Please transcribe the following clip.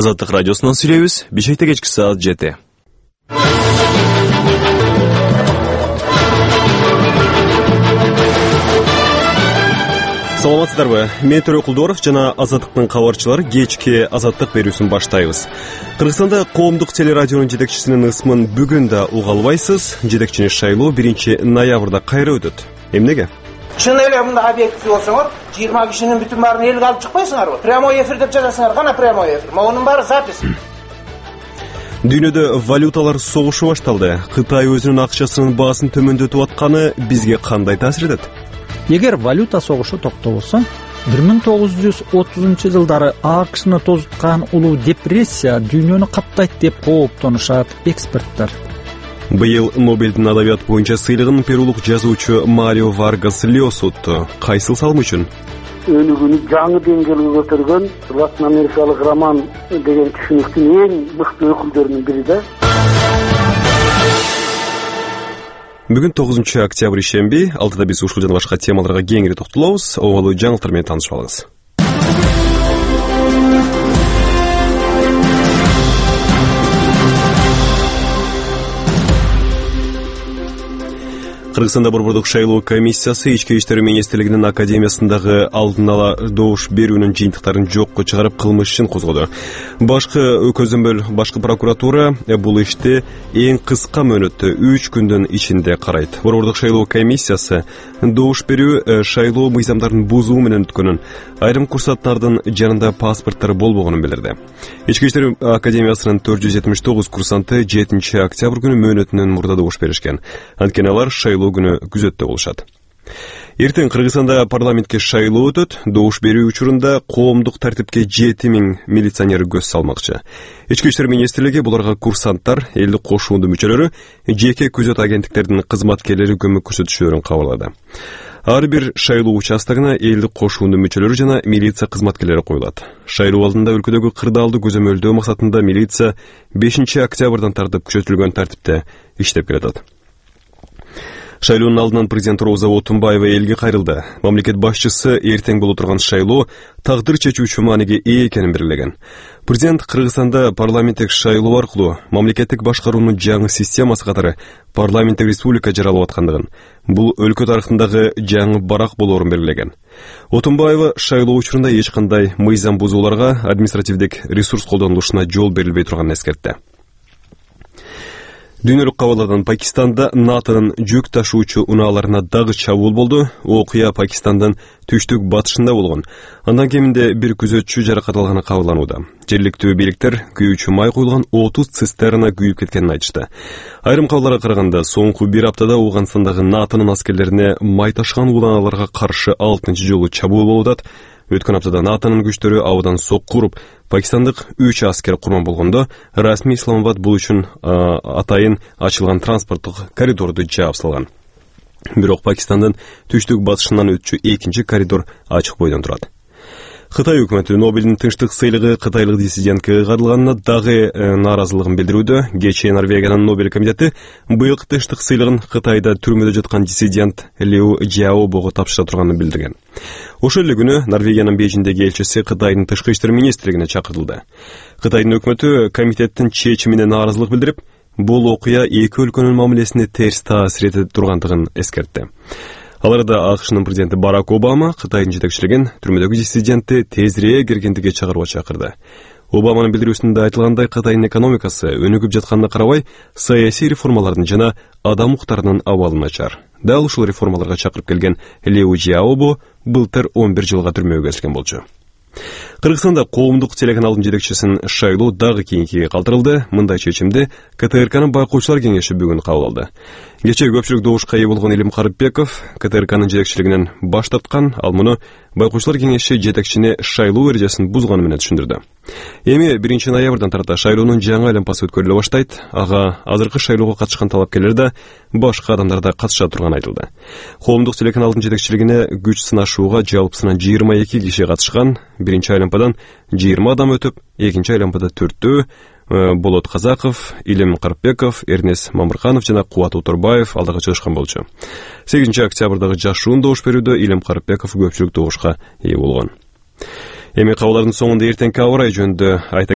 Азаттык радиосунан сүйлөйбүз. Бишкекте кечки саат 7. Саламатсыздарбы? Мен Төрө Кулдоров жана Азаттыктын кабарчылары кечки Азаттык берүүсүн баштайбыз. Кыргызстанда коомдук телерадионун жетекчисинин ысмын бүгүн да уга албайсыз. Жетекчини шайлоо 1 ноябрда кайра өтөт. Эмнеге? Чын эле мында объектив болсоңор, 20 кишинин бүтүн баарын элге алып чыкпайсыңарбы? Прямой эфир деп жазасыңар, кана прямой эфир. Монун баары запись. Дүйнөдө валюталар согушу башталды. Кытай өзүнүн акчасынын баасын төмөндөтүп атканы бизге кандай таасир этет? Эгер валюта согушу токтолсо, 1930-жылдары АКШны тозуткан улуу депрессия дүйнөнү каптайт деп кооптонушат эксперттер. Быйыл Нобелдин адабият боюнча сыйлыгын перулук жазуучу Марио Варгас Льоса утту. Кайсыл салым үчүн? Өнүгүүнү жаңы деңгээлге көтөргөн Латин Америкалык роман деген түшүнүктүн эң мыкты өкүлдөрүнүн бири да. Бүгүн 9 октябрь ишемби. Алдыда биз ушул жана башка темаларга кеңири токтолобуз. Обалуу жаңылыктар менен таанышып алыңыз. Кыргызстанда Борбордук шайлоо комиссиясы Ички иштер министрлигинин академиясындагы алдын ала добуш берүүнүн жыйынтыктарын жокко чыгарып кылмыш ишин козгоду. Башкы көзөмөл башкы прокуратура бул ишти эң кыска мөөнөттө 3 күндүн ичинде карайт. Борбордук шайлоо комиссиясы добуш берүү шайлоо мыйзамдарын бузуу менен өткөнүн, айрым курсанттардын жанында паспорттор болбогонун билдирди. Ички иштер академиясынын 479 курсанты 7 октябрь күнү мөөнөтүнөн мурда добуш беришкен. Анткени алар шайлоо күнү күзөттө болушат. Эртең Кыргызстанда парламентке шайлоо өтөт. Добуш берүү учурунда коомдук тартипке 7000 милиционер көз салмакчы. Ички иштер министрлиги буларга курсанттар, элдик кошуунду мүчөлөрү, жеке күзөт агенттиктердин кызматкерлери көмөк көрсөтүшөөрүн кабарлады. Ар бир шайлоо участогуна элдик кошуунду мүчөлөрү жана милиция кызматкерлери коюлат. Шайлоо алдында өлкөдөгү кырдаалды көзөмөлдөө максатында милиция 5 октябрдан тартып күчөтүлгөн тартипте иштеп келатат. Шайлоонун алдынан президент Роза Отунбаева элге кайрылды. Мамлекет башчысы эртең боло турган шайлоо тагдыр чечүүчү мааниге ээ экенин белгилеген. Президент Кыргызстанда парламенттик шайлоо аркылуу мамлекеттик башкаруунун жаңы системасы катары парламенттик республика жаралып аткандыгын, бул өлкө тарыхындагы жаңы барак болоорун белгилеген. Отунбаева шайлоо учурунда эч кандай мыйзам бузууларга, административдик ресурс колдонулушуна жол берилбей турганын эскертти. Дүйнөлүк кабалдардан Пакистанда НАТОнун жүк ташуучу унааларына дагы чабуул болду. Окуя Пакистандын түштүк батышында болгон. Андан кеминде бир күзөтчү жаракат алганы кабарланууда. Жергиликтүү бийликтер күйүүчү май куюлган 30 цистерна күйүп кеткенин айтышты. Айрым кабарларга караганда, соңку бир аптада Ауганстандагы НАТОнун аскерлерине май ташыган унааларга каршы 6-чы жолу чабуул болуп атат. Өткөн аптада НАТОнун күчтөрү абадан сокку уруп, пакистандык 3 аскер курман болгондо, расмий Исламабад бул үчүн атайын ачылган транспорттук коридорду жаап салган. Бирок Пакистандын түштүк батышынан өтчү 2-чи коридор ачык бойдон турат. Кытай өкмөтү Нобелдин тынчтык сыйлыгы кытайлык диссидентке кагылганына дагы нааразылыгын билдирүүдө. Кечээ Норвегиянын Нобель комитети быйылкы тынчтык сыйлыгын Кытайда түрмөдө жаткан диссидент Лиу Жаобого тапшыра турганын билдирген. Ошол эле күнү Норвегиянын Бейжиңдеги элчиси Кытайдын тышкы иштер министрлигине чакыртылды. Кытайдын өкмөтү комитеттин чечимине нааразылык билдирип, бул окуя эки өлкөнүн мамилесине терс таасир эте тургандыгын эскертти. Аларда АКШнын президенти Барак Обама Кытайдын жетекчилигин түрмөдөгү диссидентти тезирээк эркиндикке чыгарууга чакырды. Обаманын билдирүүсүндө айтылгандай, Кытайдын экономикасы өнүгүп жатканына карабай, саясий реформалардын жана адам укуктарынын абалы начар. Дал ушул реформаларга чакырып келген Лиу Жаобо былтыр 11 жылга түрмөгө кесилген болчу. Кыргызстанда коомдук телеканалдын жетекчисин шайлоо дагы кийинкиге калтырылды. Мындай чечимди КТРКнын байкоочулар кеңеши бүгүн кабыл алды. Кечээ көпчүлүк добушка ээ болгон Илим Карыпбеков КТРКнын жетекчилигинен баш тарткан, ал муну байкоочулар кеңеши жетекчини шайлоо эрежесин бузганы менен түшүндүрдү. Эми 1 ноябрдан тарта шайлоонун жаңы айланпасы өткөрүлө баштайт. Ага азыркы шайлоого катышкан талапкерлер да, башка адамдар да катыша турганы айтылды. Коомдук телеканалдын жетекчилигине күч сынашууга жалпысынан 22 киши катышкан. 1 айланпадан 20 адам өтүп, 2 айланпада 4-төө Болот Казаков, Илим Карыпбеков, Эрнес Мамырханов жана Кубат Утурбаев алдыга чыгышкан болчу. 8 октябрдагы жашуун добуш берүүдө Илим Карыпбеков көпчүлүк добушка ээ болгон. Эми кабылдардын соңунда эртеңки аба ырайы жөнүндө айта